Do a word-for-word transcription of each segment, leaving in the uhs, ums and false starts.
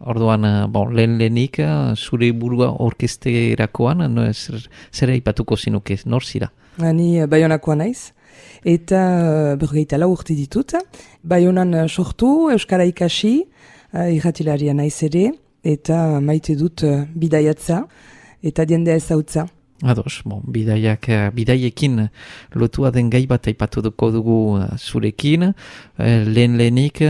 Orduan, bon, lehen lehenik, zure burua orkesterakoan, no, zer, zer aipatuko zinuke, nor zira? Ni Baionakoa naiz, eta uh, bergeita lau urte ditut. Baionan uh, sortu, Euskara ikasi, uh, irratilaria naiz ere, eta maite dut uh, bidaiatza, eta diendea ezautza. Ados, bon, bidaiak, bidaiekin lotua den gai bat aipatuko dugu zurekin. Lehen lehenik,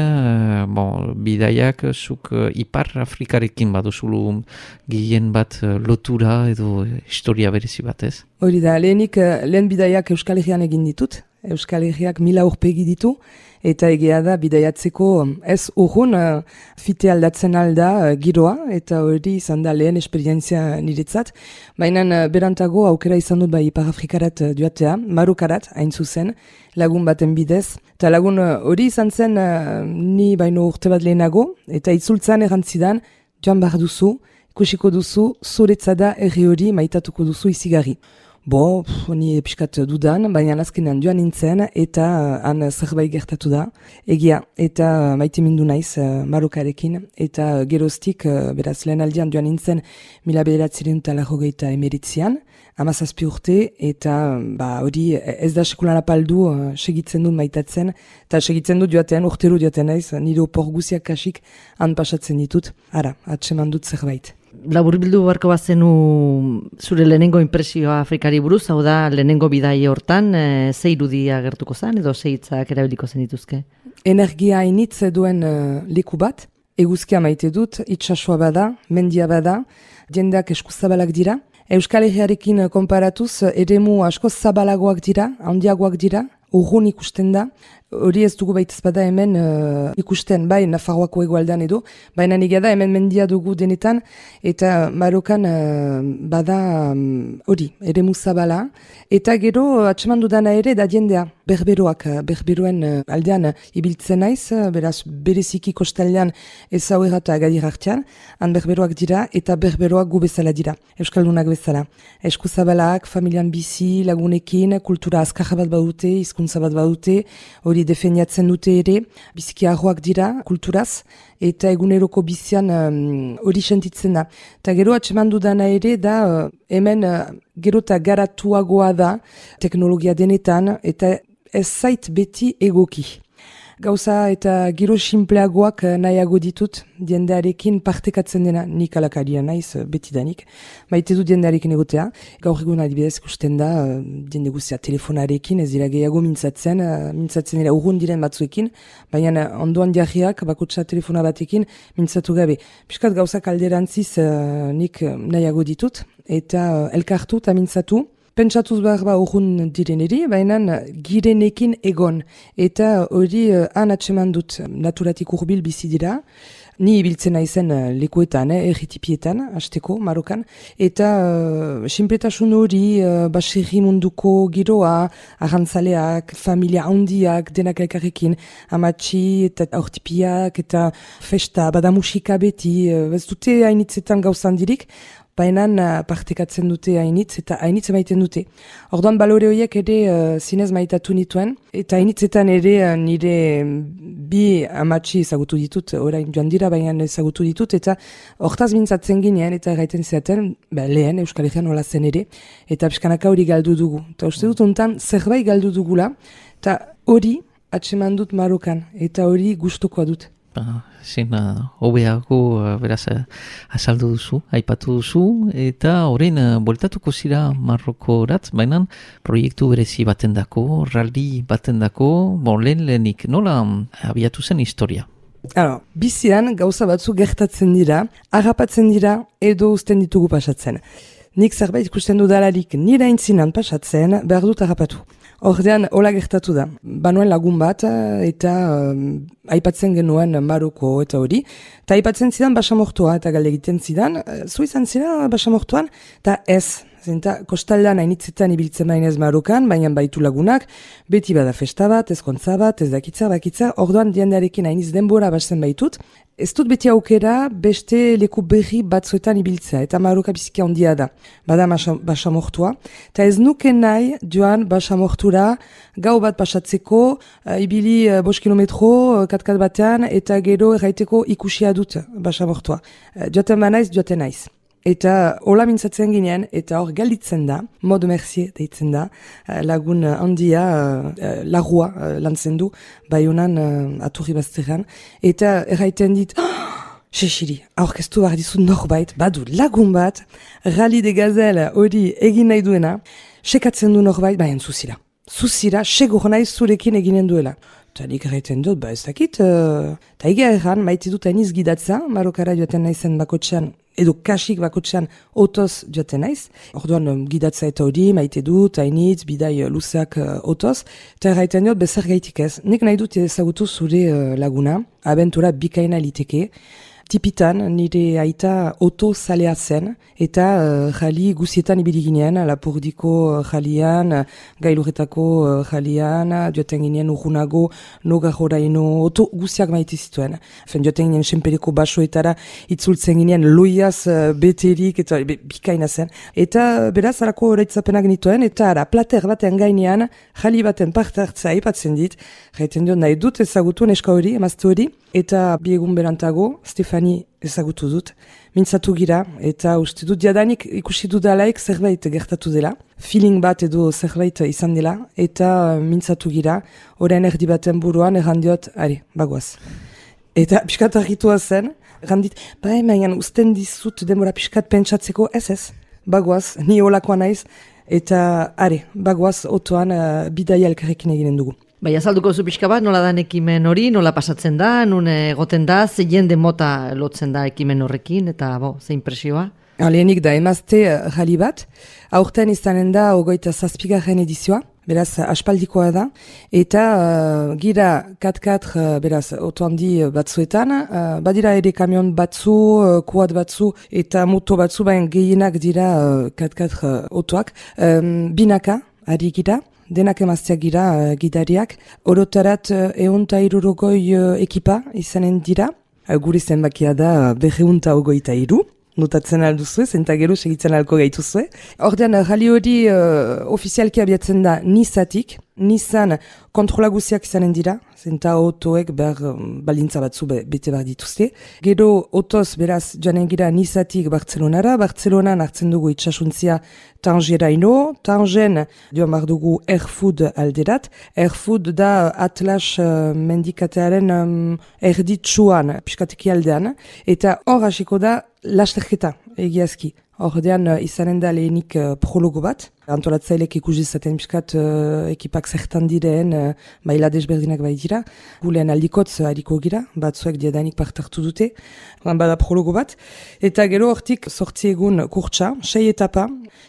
bon, bidaiak zuk Ipar Afrikarekin baduzulu gehien bat lotura edo historia berezi bat, ez? Hori da, lehenik lehen bidaiak Euskal Herrian egin ditut. Euskal Herriak mila urpegi ditu, eta egia da bidaiatzeko ez urrun uh, fite aldatzen alda uh, giroa, eta hori izan da lehen esperientzia niretzat. Baina uh, berantago aukera izan dut bai Ipar Afrikarat uh, duatea, Marokarat, hain zuzen, lagun baten bidez. Eta lagun hori uh, izan zen uh, ni baino urte bat lehenago, eta itzultzan errantzidan, joan behar duzu, ikusiko duzu, zuretzada erri hori maitatuko duzu izigarri. Bo, pff, ni piskat dudan, baina azkenean joan nintzen, eta uh, han zerbait gertatu da. Egia, eta maite mindu naiz uh, Marokarekin, eta geroztik, uh, beraz lehen aldian joan nintzen, mila bederatziren eta lajogeita emeritzian, hamazazpi urte, eta ba, hori ez da sekulan apaldu uh, segitzen dut maitatzen, eta segitzen dut joatean, urtero joatean naiz, nire opor guziak kasik han pasatzen ditut, ara, atseman dut zerbait. Labur bildu beharko bazenu zure lehenengo impresioa Afrikari buruz, hau da lehenengo bidai hortan, e, ze irudia gertuko zen edo ze hitzak erabiliko zen dituzke? Energia hainitz duen uh, leku bat, eguzkia maite dut, itsasoa bada, mendia bada, jendeak eskuzabalak dira. Euskal Herriarekin konparatuz, eremu asko zabalagoak dira, handiagoak dira, urrun ikusten da. Hori ez dugu baitez bada hemen uh, ikusten, bai, Nafarroako egoaldean edo, baina niga da hemen mendia dugu denetan, eta Marokan uh, bada hori, um, eremu zabala, eta gero atseman dudana ere da jendea, berberoak, berberoen uh, aldean uh, ibiltzen naiz, uh, beraz bereziki kostaldean ez hauera eta Agadir artean, han berberoak dira, eta berberoak gu bezala dira, euskaldunak bezala. Esku zabalak, familian bizi, lagunekin, kultura azkar bat badute, hizkuntza bat badute, hori defendiatzen dute ere, biziki arroak dira kulturaz, eta eguneroko bizian hori um, sentitzen da. Eta gero atseman dudana ere da, uh, hemen uh, gero eta garatuagoa da, teknologia denetan, eta ez zait beti egoki. Gauza eta giro simpleagoak nahiago ditut, diendearekin partekatzen dena, nik alakaria naiz, betidanik. Maite du diendearekin egotea. Gaur egun adibidez ikusten da, diende guztia telefonarekin, ez dira gehiago mintzatzen, mintzatzen dira urrun diren batzuekin, baina ondoan diarriak, bakotsa telefona batekin, mintzatu gabe. Piskat gauzak alderantziz nik nahiago ditut, eta elkartu eta mintzatu. Pentsatuz behar ba urrun direneri, baina girenekin egon. Eta hori uh, han atseman dut naturatik urbil bizi dira. Ni ibiltzen naizen uh, lekuetan, eh, erritipietan, hasteko, Marokan. Eta uh, sinpletasun hori, uh, baserri munduko giroa, arrantzaleak, familia handiak, denak elkarrekin, amatxi eta aurtipiak eta festa, bada musika beti, uh, ez dute hainitzetan gauzan dirik, baina partekatzen dute hainitz eta hainitz maiten dute. Orduan balore horiek ere uh, zinez maitatu nituen, eta hainitzetan ere uh, nire bi amatxi ezagutu ditut, orain joan dira baina ezagutu ditut, eta hortaz mintzatzen ginean eta gaiten zeaten, ba, lehen Euskal Herrian hola zen ere, eta pixkanaka hori galdu dugu. Eta uste dut ontan zerbait galdu dugula, eta hori atseman dut Marokan, eta hori gustukoa dut. Zin, hobeago uh, beraz uh, azaldu duzu, aipatu duzu, eta orain uh, bueltatuko zira Marrokorat, baina proiektu berezi batendako, rally batendako, bon, lehen lehenik, nola abiatu zen historia? Alors, bizian gauza batzu gertatzen dira, harrapatzen dira, edo uzten ditugu pasatzen. Nik zerbait ikusten dudalarik nire aintzinan pasatzen, behar dut harrapatu. Ordean, hola gertatu da. Banuen lagun bat, eta um, aipatzen genuen Maroko eta hori. Eta aipatzen zidan basamortoa, eta galde egiten zidan, zu izan zira basamortoan, eta ez, zenta kostaldean hainitzetan ibiltzen bainez Marokan, baina baitu lagunak, beti bada festa bat, ezkontza bat, ez dakitza, bakitza, orduan diendarekin hainiz denbora basten baitut, ez dut beti aukera beste leku berri batzuetan ibiltzea, eta Maroka biziki handia da, bada basamortua, eta ez nuke nahi joan basamortura gau bat pasatzeko, uh, ibili uh, bost kilometro, uh, katkat batean, eta gero erraiteko ikusia dut basamortua. Uh, joaten banaiz, joaten naiz. Eta hola mintzatzen ginean, eta hor galditzen da, Mode Mercier deitzen da, lagun handia, uh, larua uh, lantzen du, bai honan uh, aturri bazterran, eta erraiten dit, Sexiri, aurkeztu behar dizut norbait, badu lagun bat, Rally de Gazelle hori egin nahi duena, sekatzen du norbait, baina zuzira. Zuzira, segur nahi zurekin eginen duela. Eta nik erraiten dut, ba ez dakit, uh, ta egia erran, maite dut hainiz gidatza, Marokara joaten naizen bakotxean, edo kasik bakotxean otoz joaten naiz. Orduan um, gidatza eta hori, maite dut, hainitz, bidai uh, luzeak uh, otoz, eta erraiten dut, bezer gaitik ez. Nik nahi dut ezagutu zure uh, laguna, abentura bikaina liteke, tipitan nire aita oto zalea zen, eta uh, jali guzietan ibili ginean, Lapurdiko jalian, Gailuretako uh, jalian, joaten ginean urrunago, noga joraino, oto guziak maite zituen. Fen joaten ginean senpereko basoetara, itzultzen ginean loiaz uh, beterik, eta be, bikaina zen. Eta beraz, harako horaitzapenak nituen, eta ara, plater baten gainean, jali baten parte hartzea ipatzen dit, jaiten dut nahi dut ezagutu neska hori, emazte hori, eta biegun berantago, Stefani ezagutu dut, mintzatu gira, eta uste dut jadanik ikusi dudalaik zerbait gertatu dela, feeling bat edo zerbait izan dela, eta mintzatu gira, orain erdi baten buruan errandiot, ari, bagoaz. Eta piskat argitua zen, errandit, ba hemen usten dizut demora piskat pentsatzeko, ez ez, bagoaz, ni olakoa naiz, eta ari, bagoaz otoan uh, bidaia elkarrekin eginen dugu. Bai, azalduko zu pixka bat, nola dan ekimen hori, nola pasatzen da, nun egoten da, ze jende mota lotzen da ekimen horrekin, eta bo, ze impresioa? Lehenik da, emazte jali bat, aurten izanen da ogoita zazpigarren edizioa, beraz aspaldikoa da, eta uh, gira kat-kat, uh, beraz, oto handi batzuetan, uh, badira ere kamion batzu, uh, kuat batzu, eta moto batzu, baina gehienak dira uh, kat-kat uh, otoak, um, binaka, ari gira, denak emazteak gira uh, gidariak, orotarat uh, eunta irurogoi uh, ekipa izanen dira, uh, gure zenbakia da uh, berreunta ogoita iru, notatzen alduzue, zenta gero segitzen alko gaituzue. Ordean, rali hori uh, ofizialki abiatzen da Nizatik, Nizan kontrola guziak izanen dira, zenta otoek behar um, balintza batzu be, bete behar dituzte. Gero otoz beraz joanen gira Nizatik Bartzelonara, Bartzelonan hartzen dugu itxasuntzia Tangeraino, Tangen joan behar dugu Erfoud alderat. Erfoud da Atlas uh, mendikatearen um, erditsuan, piskateki aldean, eta hor hasiko da lasterketa egiazki. Ordean uh, izanen da lehenik uh, prologo bat, antolatzailek ikusi zaten piskat uh, ekipak zertan diren, uh, maila desberdinak bai dira, gulean aldikotz uh, hariko gira, batzuek diadanik partartu dute, bada prologo bat, eta gero hortik sortzi egun kurtsa, sei etapa,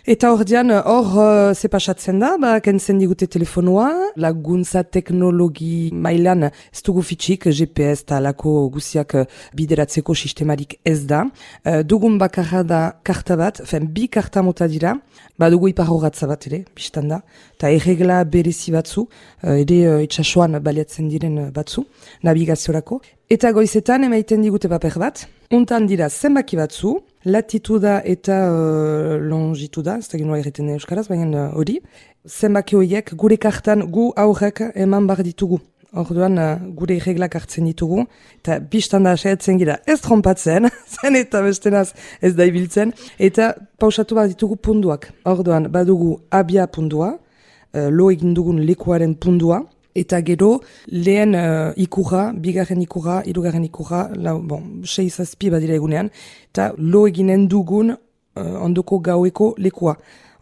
eta ordean hor uh, zepasatzen da, ba, kentzen digute telefonua, laguntza teknologi mailan ez dugu fitxik, G P S eta alako guziak uh, bideratzeko sistemarik ez da, uh, dugun bakarra da karta bat, fen bi karta mota dira, badugu iparrogatza bat ere, biztan da, eta erregla berezi batzu, ere uh, itxasuan baliatzen diren batzu, navigaziorako. Eta goizetan emaiten digute paper bat, untan dira zenbaki batzu, latituda eta uh, longituda, ez da ginoa erreten euskaraz, baina hori, uh, zenbaki horiek gure kartan gu aurrek eman bar ditugu. Orduan uh, gure reglak hartzen ditugu, eta biztanda saiatzen gira ez trompatzen, zen eta bestenaz ez da ibiltzen, eta pausatu bat ditugu punduak. Orduan badugu abia pundua, uh, lo egin dugun lekuaren pundua, eta gero lehen uh, ikurra, bigarren ikurra, hirugarren ikurra, lau, bon, sei zazpi badira egunean, eta lo eginen dugun uh, ondoko gaueko lekua.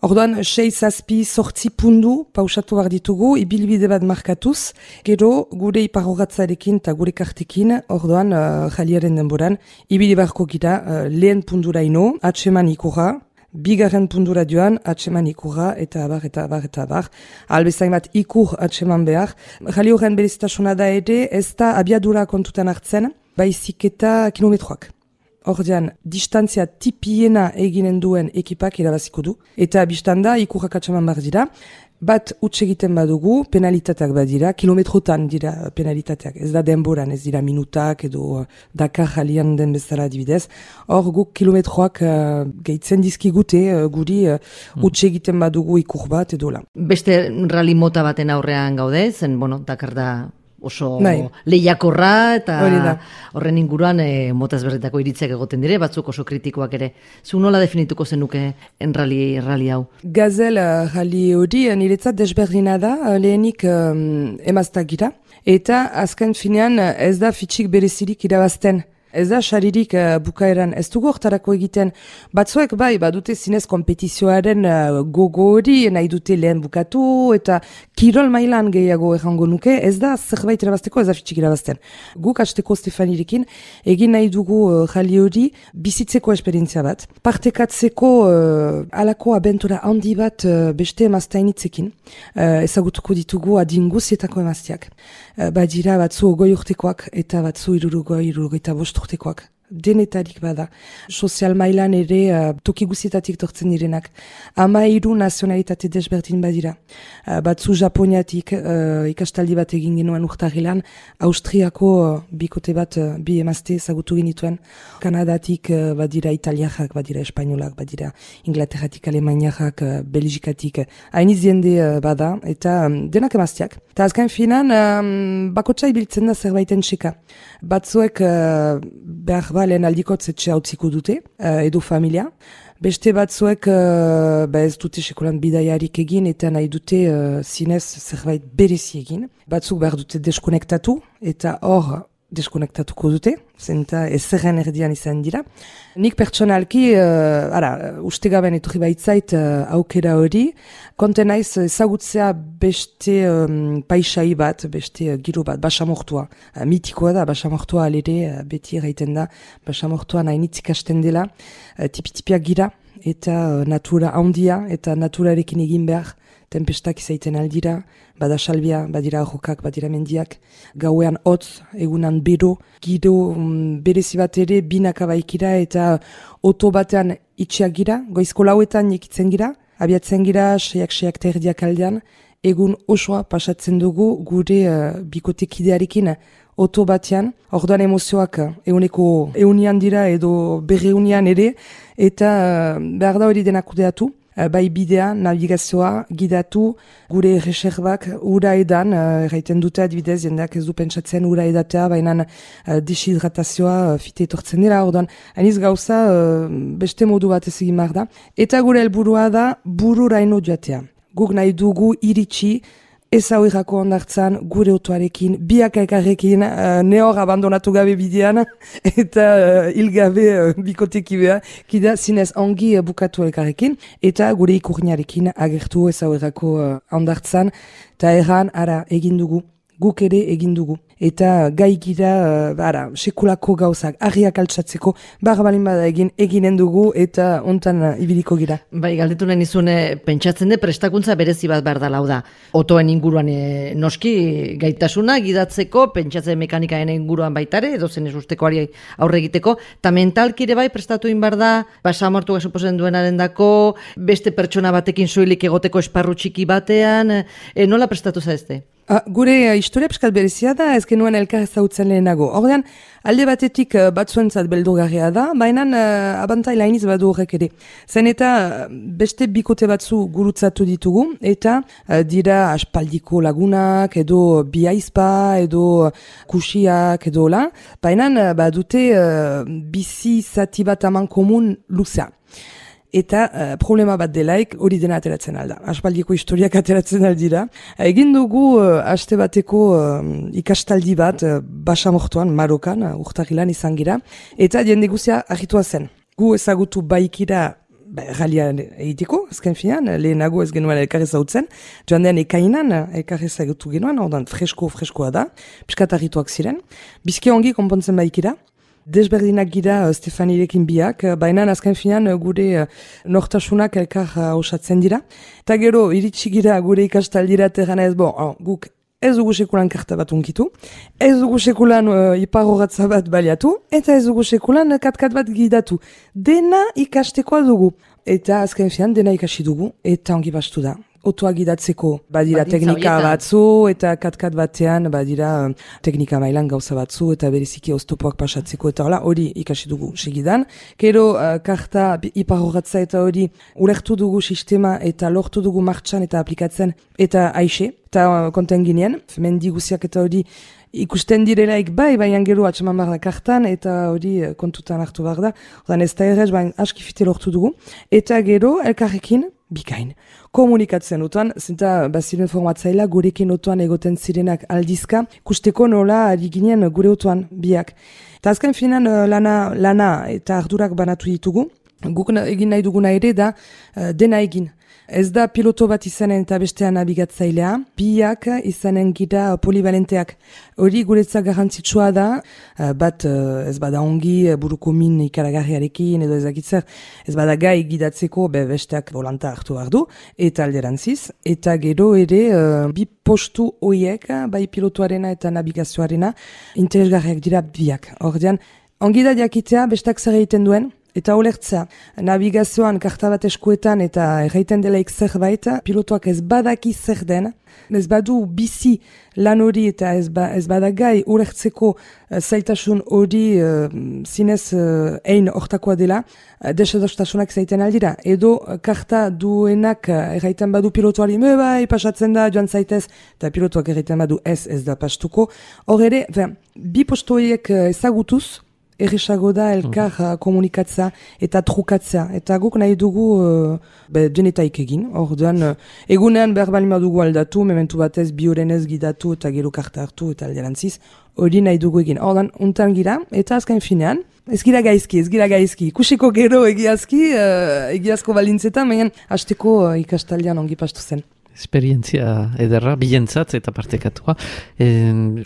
Orduan, sei zazpi sortzi pundu pausatu behar ditugu, ibilbide bat markatuz, gero gure iparrogatzarekin eta gure kartekin, orduan, uh, jaliaren denboran, ibili beharko gira uh, lehen pundura ino, atseman ikurra, bigarren pundura joan, atseman ikurra, eta abar, eta abar, eta abar. Albezain bat ikur atseman behar. Jali horren berezitasuna da ere, ez da abiadura kontutan hartzen, baizik eta kilometroak. ordean distantzia tipiena eginen duen ekipak irabaziko du. Eta biztanda ikurrak atxaman behar dira, bat utz egiten badugu, penalitateak badira, kilometrotan dira penalitateak, ez da denboran, ez dira minutak edo Dakar jalian den bezala adibidez. Hor guk kilometroak uh, gehitzen dizkigute uh, guri uh, utz egiten badugu ikur bat edo la. Beste rally mota baten aurrean gaude, zen, bueno, Dakar da oso bai. lehiakorra eta horren inguruan e, mota ezberdinetako iritziak egoten dire, batzuk oso kritikoak ere. Zu nola definituko zenuke en rally, rally hau? Gazel uh, rally hori niretzat desberdina da, uh, lehenik um, emaztak gira, eta azken finean uh, ez da fitxik berezirik irabazten. Ez da xaririk uh, bukaeran, ez dugu hortarako egiten. Batzuek bai, badute zinez kompetizioaren uh, gogo hori, nahi dute lehen bukatu, eta kirol mailan gehiago errango nuke, ez da zerbait irabazteko, ez da fitxik irabazten. Guk hasteko Stefanirekin, egin nahi dugu uh, jali hori bizitzeko esperientzia bat. Partekatzeko uh, alako abentura handi bat uh, beste emaztainitzekin. Uh, ezagutuko ditugu adinguzietako emaztiak. Uh, badira batzu ogoi urtekoak, eta batzu irurugoi, irurugoita bost urtekoak. Denetarik bada. Sozial mailan ere uh, toki guzietatik tortzen direnak. Ama hiru nazionalitate desberdin badira. Uh, batzu Japoniatik uh, ikastaldi bat egin genuen urtarrilan, Austriako uh, bikote bat uh, bi emazte ezagutu genituen. Kanadatik uh, badira italiakak, badira espainolak, badira Inglaterratik, Alemaniakak, uh, Belgikatik. Hainiz jende uh, bada, eta um, denak emazteak. Eta azken finan, um, bakotsa ibiltzen da zerbaiten txeka. Batzuek uh, behar ba lehen aldikotz etxe hautziko dute, uh, edo familia. Beste batzuek uh, ba ez dute sekolan bidaiarik egin eta nahi dute uh, zinez zerbait berezi egin. Batzuk behar dute deskonektatu eta hor deskonektatuko dute, zenta ezerren erdian izan dira. Nik pertsonalki, uh, ara, uste gaben etorri baitzait uh, aukera hori, konten naiz ezagutzea beste um, paisai bat, beste uh, giro bat, basamortua. Uh, mitikoa da, basamortua alere, uh, beti erraiten da, basamortua nahi nitzik hasten dela, uh, tipi-tipiak gira, eta uh, natura handia, eta naturarekin egin behar, tempestak izaiten aldira, bada salbia, badira rokak, badira mendiak, gauean hotz, egunan bero, giro um, berezi bat ere binaka baikira eta oto batean itxiak gira, goizko lauetan ikitzen gira, abiatzen gira, seiak-seiak terdiak aldean, egun osoa pasatzen dugu gure uh, bikotekidearekin oto batean, orduan emozioak euneko eunian dira edo berreunian ere, eta uh, behar da hori denak kudeatu. Bai bidea, navigazioa, gidatu, gure reserbak ura edan, erraiten dute adibidez, jendeak ez du pentsatzen ura edatea, baina uh, deshidratazioa uh, fite etortzen dira, orduan, hainiz gauza uh, beste modu bat ez egin behar da. Eta gure helburua da bururaino joatea. Guk nahi dugu iritsi, ez hau irrako ondartzan, gure otoarekin, biak elkarrekin, uh, nehor abandonatu gabe bidean, eta uh, hilgabe uh, bikotekibea, kida zinez ongi uh, bukatu elkarrekin, eta gure ikurniarekin agertu ez hau irrako uh, ondartzan, eta erran, ara, egin dugu, guk ere egin dugu. Eta gai gira, uh, ara, sekulako gauzak, argiak altsatzeko, barra balin bada egin, eginen dugu, eta ontan uh, ibiliko gira. Bai, galdetu nahi nizune, pentsatzen de prestakuntza berezi bat behar da lau da. Otoen inguruan e, noski gaitasuna, gidatzeko, pentsatzen mekanikaen inguruan baitare, edo zen ez ustekoari aurre egiteko, eta mentalki ere bai prestatu inbar da, basamortu gasopozen duenaren dako, beste pertsona batekin soilik egoteko esparru txiki batean, e, nola prestatu zaizte? Ah, gure uh, historia piskat berezia da, ez genuen elkar ezagutzen lehenago. Ordean, alde batetik uh, batzuentzat beldurgarria da, baina uh, abantaila iniz badu horrek ere. Zen eta uh, beste bikote batzu gurutzatu ditugu, eta uh, dira aspaldiko lagunak, edo biaizpa, edo kusiak, edo la, baina uh, badute uh, bizi zati bat aman komun luzea. Eta uh, problema bat delaik hori dena ateratzen alda. Aspaldiko historiak ateratzen aldira. Egin dugu uh, aste bateko uh, ikastaldi bat uh, basamortuan, Marokan, uh, urtarrilan izan gira. Eta jende guzia argitua zen. Gu ezagutu baikira ba, ralian egiteko, azken finan, lehenago ez genuen elkarrez hautzen. Joan den ekainan elkarrez ezagutu genuen, ordan fresko-freskoa da. Piskat argituak ziren. Bizki ongi konpontzen baikira. Desberdinak gira uh, Stefanirekin biak, uh, baina azken finan uh, gure uh, nortasunak elkar uh, osatzen dira. Eta gero, iritsi gira gure ikastaldira terrana ez, bon, oh, guk ez dugu sekulan karta bat unkitu, ez dugu sekulan uh, iparrogatza bat baliatu, eta ez dugu sekulan katkat bat gidatu. Dena ikastekoa dugu. Eta azken fian, dena ikasi dugu, eta ongi bastu da. Otoa gidatzeko badira Badintza teknika horietan. batzu, eta katkat batean badira um, teknika mailan gauza batzu, eta bereziki oztopoak pasatzeko, eta hola, hori ikasi dugu segidan. Gero, uh, karta iparrogatza eta hori ulertu dugu sistema, eta lortu dugu martxan eta aplikatzen, eta aixe, eta uh, konten ginen, mendi guziak eta hori ikusten direlaik bai, baina gero atxeman behar da kartan, eta hori uh, kontutan hartu behar da. Odan ez da errez, baina askifite lortu dugu. Eta gero, elkarrekin, bikain. Komunikatzen utuan, zenta baziren formatzaila gurekin utuan egoten zirenak aldizka, kusteko nola ari ginen gure utuan biak. Eta azken finan uh, lana, lana eta ardurak banatu ditugu, guk na, egin nahi duguna ere da uh, dena egin. Ez da piloto bat izanen eta bestean nabigatzailea, biak izanen gira polivalenteak. Hori guretzak garrantzitsua da, bat ez bada ongi buruko min ikaragarriarekin edo ezakitzer, ez bada gai gidatzeko be besteak volanta hartu behar du, eta alderantziz, eta gero ere bi postu hoiek, bai pilotuarena eta nabigazioarena, interesgarriak dira biak. Ordean, ongi da jakitea besteak zer egiten duen, eta olertza, navigazioan karta bat eskuetan eta erraiten delaik zerbait, pilotoak ez badaki zer den, ez badu bizi lan hori eta ez, ba, ez badagai olertzeko uh, zailtasun hori uh, zinez uh, ein hortakoa dela, uh, desadostasunak zaiten aldira. Edo uh, karta duenak uh, erraiten badu pilotoari, me bai, pasatzen da, joan zaitez, eta pilotoak erraiten badu ez, ez da pastuko. Hor ere, bi postoiek uh, ezagutuz, erresago da elkar uh, komunikatza eta trukatzea. Eta guk nahi dugu uh, be, denetaik egin. Orduan, uh, egunean behar balima dugu aldatu, mementu batez biorenez gidatu eta gero karta hartu eta alderantziz, hori nahi dugu egin. Orduan, untan gira, eta azken finean, ez gira gaizki, ez gira gaizki. Kusiko gero egiazki, uh, egiazko balintzetan, baina hasteko uh, ikastaldean ongi pastu zen. Esperientzia ederra, bilentzat eta partekatua.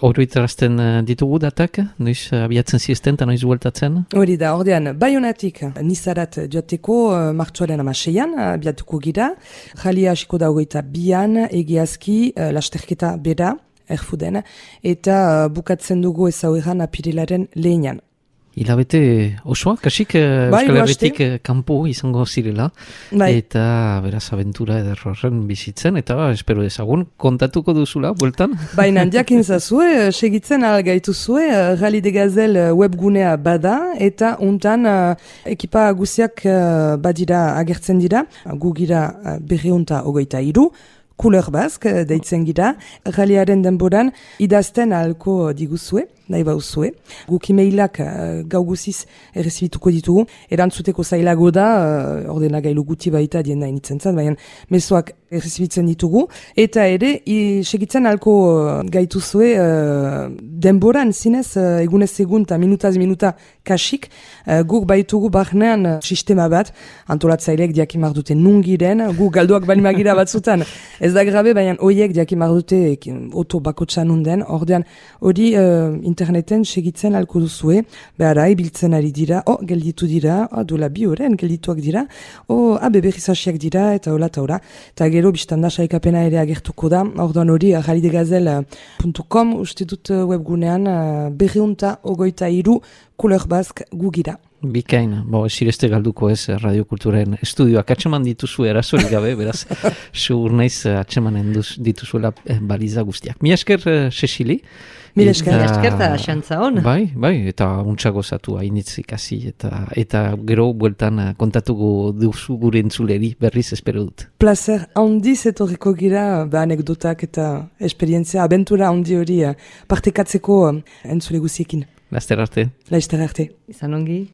Oroitarazten ditugu datak, noiz abiatzen ziesten eta noiz bueltatzen? Hori da, ordean, Baionatik Nizarat joateko uh, martxoaren amaseian, abiatuko gira. Jalia hasiko da hogeita bian, egiazki, uh, lasterketa bera, erfuden, eta uh, bukatzen dugu ezaueran apirilaren lehenan. Hilabete osoa, kasik bai, Euskal Herritik kanpo izango zirela, bai. Eta beraz abentura ederrorren bizitzen, eta ba, espero dezagun, kontatuko duzula, bueltan? Baina, jakin zazue, segitzen algaitu zue, Rally de Gazel webgunea bada, eta untan uh, ekipa guziak uh, badira agertzen dira, gu gira uh, berreunta ogoita iru, Couleur Basque deitzen gira, ralliaren denboran idazten ahalko diguzue, nahi bauzue. Guk emailak uh, gau guziz errezibituko ditugu, erantzuteko zailago da, uh, ordena gailu guti baita dien nahi nitzen zan, baina mesoak errezibitzen ditugu, eta ere, i, segitzen ahalko uh, gaituzue uh, denboran zinez, uh, egunez egun eta minutaz minuta kasik, uh, guk baitugu barnean uh, sistema bat, antolatzaileek diakimar dute nungiren, guk galduak balimagira batzutan, ez da grabe, baina horiek diakimar dute oto bakotxan unden, ordean hori uh, interneten segitzen alko duzue, behara, ibiltzen ari dira, oh, gelditu dira, oh, dola bi horren geldituak dira, oh, abe berrizasiak dira, eta hola, eta hola, eta gero biztanda saikapena ere agertuko da, ordean hori, rally de gazel puntu com, uste dut webgunean, uh, berriunta ogoita iru, Couleur Basque gugira. Bikain, bo, esireste galduko ez radiokulturen estudioak atxeman dituzu erasorik gabe, beraz, segur naiz atxemanen dituzuela baliza guztiak. Mi esker, Cecili. Mi esker. Mi esker da xantza hon. Bai, bai, eta untsa gozatu hainitz ikasi, eta, eta gero bueltan kontatuko duzu gure entzuleri berriz espero dut. Placer handiz etorriko gira, ba, anekdotak eta esperientzia, abentura handi hori partekatzeko entzule guziekin. Laster arte. Laster arte. Izan ongi.